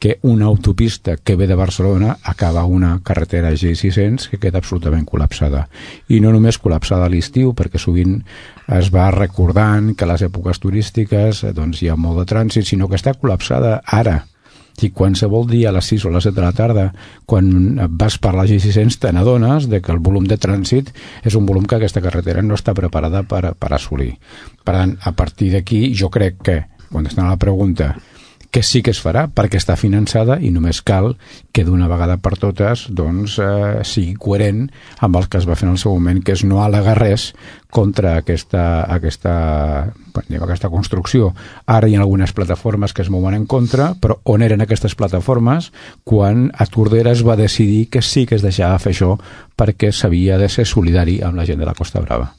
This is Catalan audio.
que una autopista que ve de Barcelona acaba una carretera G600 que queda absolutament col·lapsada. I no només col·lapsada a l'estiu, perquè sovint es va recordant que a les èpoques turístiques doncs, hi ha molt de trànsit, sinó que està col·lapsada ara. I qualsevol dia a les 6 o a les 7 de la tarda, quan vas per la G600, te n'adones que el volum de trànsit és un volum que aquesta carretera no està preparada per assolir. Per tant, a partir d'aquí, jo crec que, contestant a la pregunta, que sí que es farà perquè està finançada i només cal que d'una vegada per totes doncs, sigui coherent amb el que es va fer en el seu moment, que és no al·legar res contra aquesta construcció. Ara hi ha algunes plataformes que es mouen en contra, però on eren aquestes plataformes quan a Tordera es va decidir que sí que es deixava fer això perquè s'havia de ser solidari amb la gent de la Costa Brava?